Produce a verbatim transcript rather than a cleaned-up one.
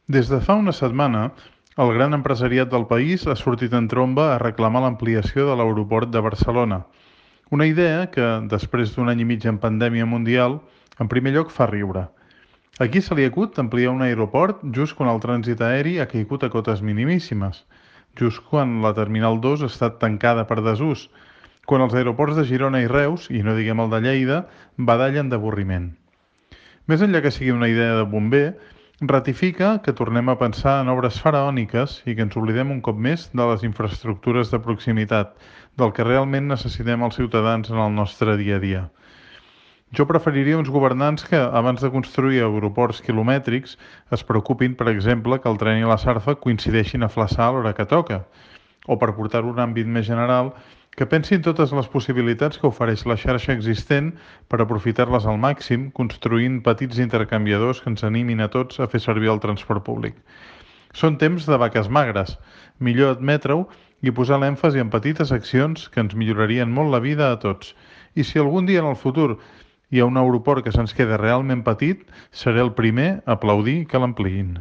Des de fa una setmana, el gran empresariat del país ha sortit en tromba a reclamar l'ampliació de l'aeroport de Barcelona. Una idea que, després d'un any i mig en pandèmia mundial, en primer lloc fa riure. A qui se li acut ampliar un aeroport just quan el trànsit aeri ha caigut a cotes minimíssimes, just quan la Terminal dos ha estat tancada per desús, quan els aeroports de Girona i Reus, i no diguem el de Lleida, badallen d'avorriment. Més enllà que sigui una idea de bomber, ratifica que tornem a pensar en obres faraòniques i que ens oblidem un cop més de les infraestructures de proximitat, del que realment necessitem els ciutadans en el nostre dia a dia. Jo preferiria uns governants que, abans de construir aeroports quilomètrics, es preocupin, per exemple, que el tren i la sarfa coincideixin a flaçar a l'hora que toca, o per portar-ho a un àmbit més general, que pensin totes les possibilitats que ofereix la xarxa existent per aprofitar-les al màxim, construint petits intercanviadors que ens animin a tots a fer servir el transport públic. Són temps de vaques magres, millor admetre-ho i posar l'èmfasi en petites accions que ens millorarien molt la vida a tots. I si algun dia en el futur hi ha un aeroport que se'ns queda realment petit, seré el primer a aplaudir que l'ampliïn.